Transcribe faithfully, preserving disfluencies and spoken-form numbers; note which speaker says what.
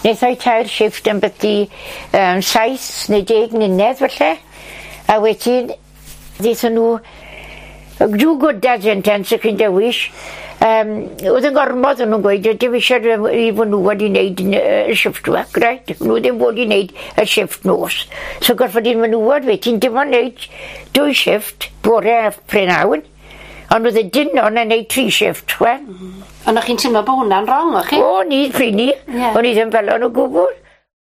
Speaker 1: Wnaethai tair shift yn byddu um, saith neu deg mlynedd falle. A wedyn, ddeithon nhw, do good dad sentence ych chi'n dewis. Um, oedd yn gormod o'n nhw'n gweud, dim eisiau i fod nhw wedi wneud y shift work, right? Nhw ddim wedi wneud y shift nos. So gorfod i'n menywod wedyn, dim ond wneud dwy shift, bore a prynhawn. Ond oedd y dynon yn wneud tri shift, chwe.
Speaker 2: Mm. Ond o'ch chi'n teimlo bod hwnna'n wrong, o'ch chi?
Speaker 1: O, ni, prynu. Ie. O'n i ddim fel o'n o gwbl.